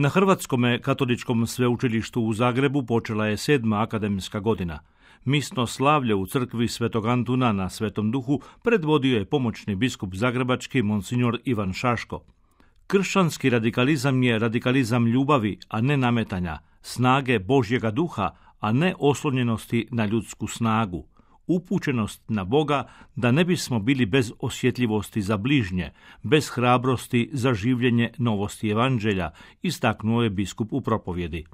Na Hrvatskom katoličkom sveučilištu u Zagrebu počela je 7. akademska godina. Misno slavlje u crkvi Svetog Antuna na Svetom Duhu predvodio je pomoćni biskup zagrebački monsignor Ivan Šaško. Kršćanski radikalizam je radikalizam ljubavi, a ne nametanja, snage Božjega duha, a ne oslonjenosti na ljudsku snagu, upućenost na Boga da ne bismo bili bez osjetljivosti za bližnje, bez hrabrosti za življenje novosti evanđelja, istaknuo je biskup u propovjedi.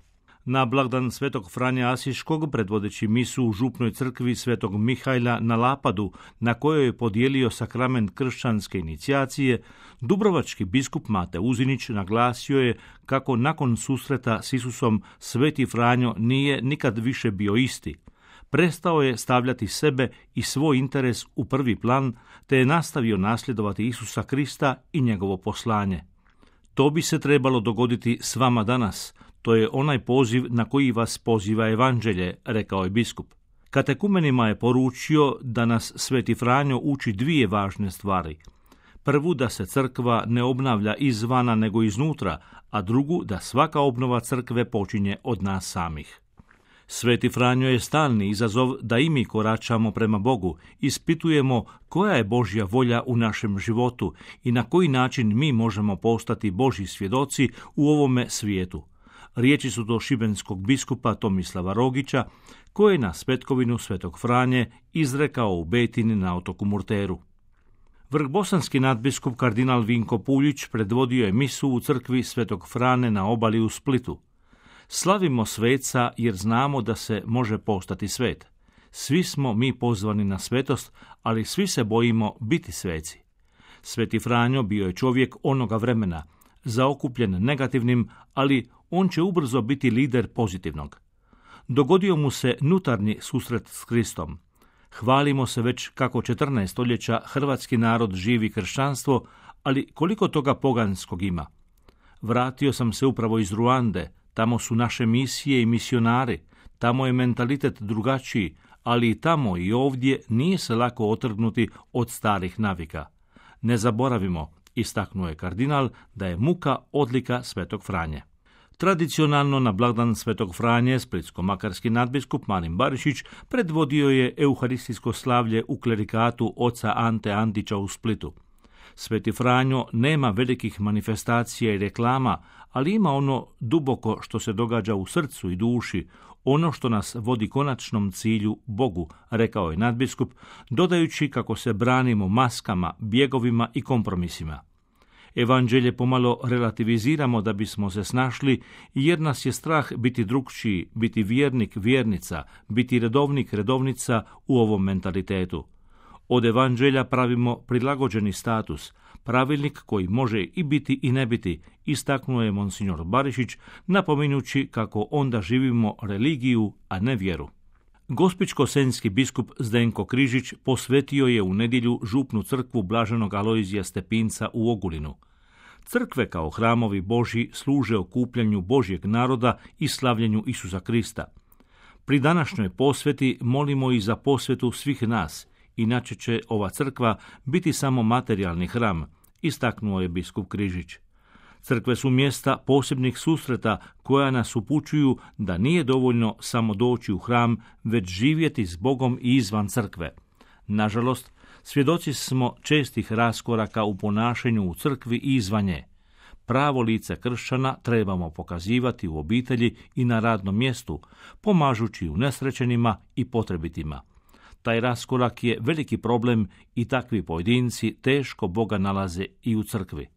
Na blagdan Svetog Franje Asiškog, predvodeći misu u župnoj crkvi Svetog Mihajla na Lapadu, na kojoj je podijelio sakrament kršćanske inicijacije, dubrovački biskup Mate Uzinić naglasio je kako nakon susreta s Isusom Sveti Franjo nije nikad više bio isti. Prestao je stavljati sebe i svoj interes u prvi plan, te je nastavio nasljedovati Isusa Krista i njegovo poslanje. To bi se trebalo dogoditi s vama danas. To je onaj poziv na koji vas poziva evanđelje, rekao je biskup. Katekumenima je poručio da nas Sveti Franjo uči dvije važne stvari. Prvu, da se crkva ne obnavlja izvana nego iznutra, a drugu, da svaka obnova crkve počinje od nas samih. Sveti Franjo je stalni izazov da i mi koračamo prema Bogu, ispitujemo koja je Božja volja u našem životu i na koji način mi možemo postati Božji svjedoci u ovome svijetu. Riječi su to šibenskog biskupa Tomislava Rogića, koji je na Svetkovinu Svetog Franje izrekao u Betini na otoku Murteru. Vrhbosanski nadbiskup kardinal Vinko Puljić predvodio je misu u crkvi Svetog Frane na obali u Splitu. Slavimo sveca jer znamo da se može postati svet. Svi smo mi pozvani na svetost, ali svi se bojimo biti sveci. Sveti Franjo bio je čovjek onoga vremena, zaokupljen negativnim, ali on će ubrzo biti lider pozitivnog. Dogodio mu se nutarnji susret s Kristom. Hvalimo se već kako 14 stoljeća hrvatski narod živi kršćanstvo, ali koliko toga poganskog ima. Vratio sam se upravo iz Ruande, tamo su naše misije i misionari, tamo je mentalitet drugačiji, ali i tamo i ovdje nije se lako otrgnuti od starih navika. Ne zaboravimo, istaknuo je kardinal, da je muka odlika Svetog Franje. Tradicionalno na blagdan Svetog Franje splitsko-makarski nadbiskup Marin Barišić predvodio je euharistijsko slavlje u klerikatu oca Ante Antića u Splitu. Sveti Franjo nema velikih manifestacija i reklama, ali ima ono duboko što se događa u srcu i duši, ono što nas vodi konačnom cilju Bogu, rekao je nadbiskup, dodajući kako se branimo maskama, bjegovima i kompromisima. Evanđelje pomalo relativiziramo da bismo se snašli, jer nas je strah biti drukčiji, biti vjernik, vjernica, biti redovnik, redovnica u ovom mentalitetu. Od evanđelja pravimo prilagođeni status, pravilnik koji može i biti i ne biti, istaknuo je monsignor Barišić, napominjući kako onda živimo religiju, a ne vjeru. Gospićko-senjski biskup Zdenko Križić posvetio je u nedjelju župnu crkvu Blaženog Alojzija Stepinca u Ogulinu. Crkve kao hramovi Božji služe okupljanju Božjeg naroda i slavljenju Isusa Krista. Pri današnjoj posveti molimo i za posvetu svih nas, inače će ova crkva biti samo materijalni hram, istaknuo je biskup Križić. Crkve su mjesta posebnih susreta koja nas upućuju da nije dovoljno samo doći u hram, već živjeti s Bogom i izvan crkve. Nažalost, svjedoci smo čestih raskoraka u ponašanju u crkvi i izvan nje. Pravo lice kršćana trebamo pokazivati u obitelji i na radnom mjestu, pomažući unesrećenima i potrebitima. Taj raskorak je veliki problem i takvi pojedinci teško Boga nalaze i u crkvi.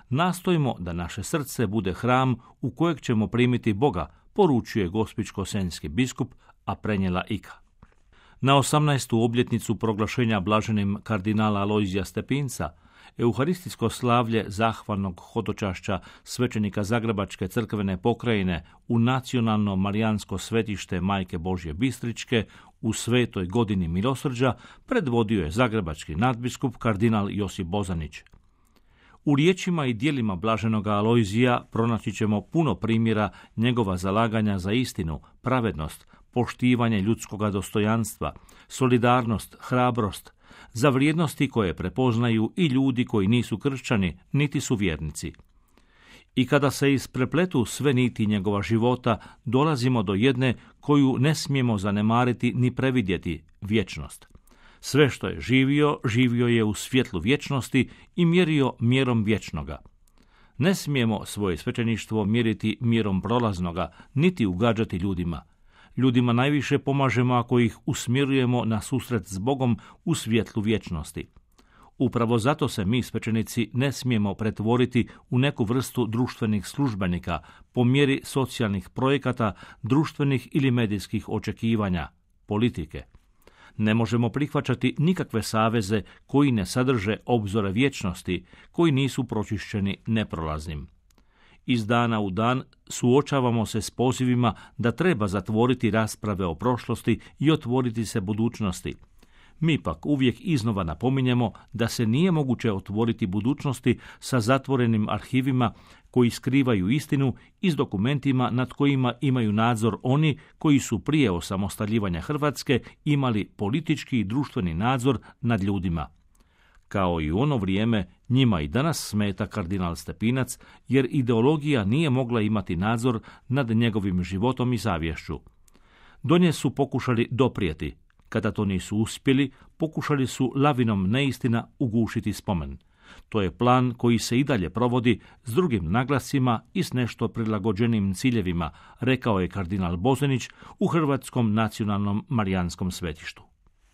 Nastojimo da naše srce bude hram u kojeg ćemo primiti Boga, poručuje gospićko-senjski biskup, a prenijela Ika. Na 18. obljetnicu proglašenja blaženim kardinala Alojzija Stepinca, euharistijsko slavlje zahvalnog hodočašća svećenika Zagrebačke crkvene pokrajine u nacionalno marijansko svetište Majke Božje Bistričke u svetoj godini milosrđa predvodio je zagrebački nadbiskup kardinal Josip Bozanić. U riječima i djelima blaženoga Alojzija pronaći ćemo puno primjera njegova zalaganja za istinu, pravednost, poštivanje ljudskoga dostojanstva, solidarnost, hrabrost, za vrijednosti koje prepoznaju i ljudi koji nisu kršćani, niti su vjernici. I kada se isprepletu sve niti njegova života, dolazimo do jedne koju ne smijemo zanemariti ni previdjeti, vječnost. Sve što je živio, živio je u svjetlu vječnosti i mjerio mjerom vječnoga. Ne smijemo svoje svećeništvo mjeriti mjerom prolaznoga, niti ugađati ljudima. Ljudima najviše pomažemo ako ih usmjerujemo na susret s Bogom u svjetlu vječnosti. Upravo zato se mi, svećenici, ne smijemo pretvoriti u neku vrstu društvenih službenika po mjeri socijalnih projekata, društvenih ili medijskih očekivanja, politike. Ne možemo prihvaćati nikakve saveze koji ne sadrže obzore vječnosti, koji nisu pročišćeni neprolaznim. Iz dana u dan suočavamo se s pozivima da treba zatvoriti rasprave o prošlosti i otvoriti se budućnosti. Mi pak uvijek iznova napominjemo da se nije moguće otvoriti budućnosti sa zatvorenim arhivima koji skrivaju istinu i s dokumentima nad kojima imaju nadzor oni koji su prije osamostaljivanja Hrvatske imali politički i društveni nadzor nad ljudima. Kao i u ono vrijeme, njima i danas smeta kardinal Stepinac, jer ideologija nije mogla imati nadzor nad njegovim životom i savješću. Do nje su pokušali doprijeti. Kada to nisu uspjeli, pokušali su lavinom neistina ugušiti spomen. To je plan koji se i dalje provodi s drugim naglascima i s nešto prilagođenim ciljevima, rekao je kardinal Bozanić u Hrvatskom nacionalnom marijanskom svetištu.